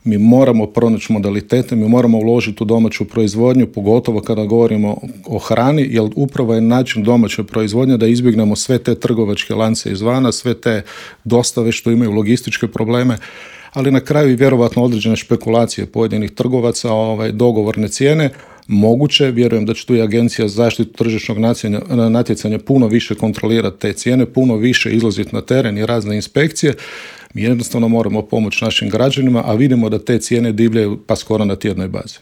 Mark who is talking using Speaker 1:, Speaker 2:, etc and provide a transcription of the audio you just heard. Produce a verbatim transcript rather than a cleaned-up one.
Speaker 1: Mi moramo pronaći modalitete, mi moramo uložiti u domaću proizvodnju, pogotovo kada govorimo o hrani, jer upravo je način domaće proizvodnje da izbjegnemo sve te trgovačke lance izvana, sve te dostave što imaju logističke probleme, ali na kraju i vjerovatno određene špekulacije pojedinih trgovaca, ovaj, dogovorne cijene. Moguće, vjerujem da će tu i Agencija za zaštitu tržišnog natjecanja puno više kontrolirati te cijene, puno više izlaziti na teren i razne inspekcije. Mi jednostavno moramo pomoći našim građanima, a vidimo da te cijene divljaju pa skoro na tjednoj bazi.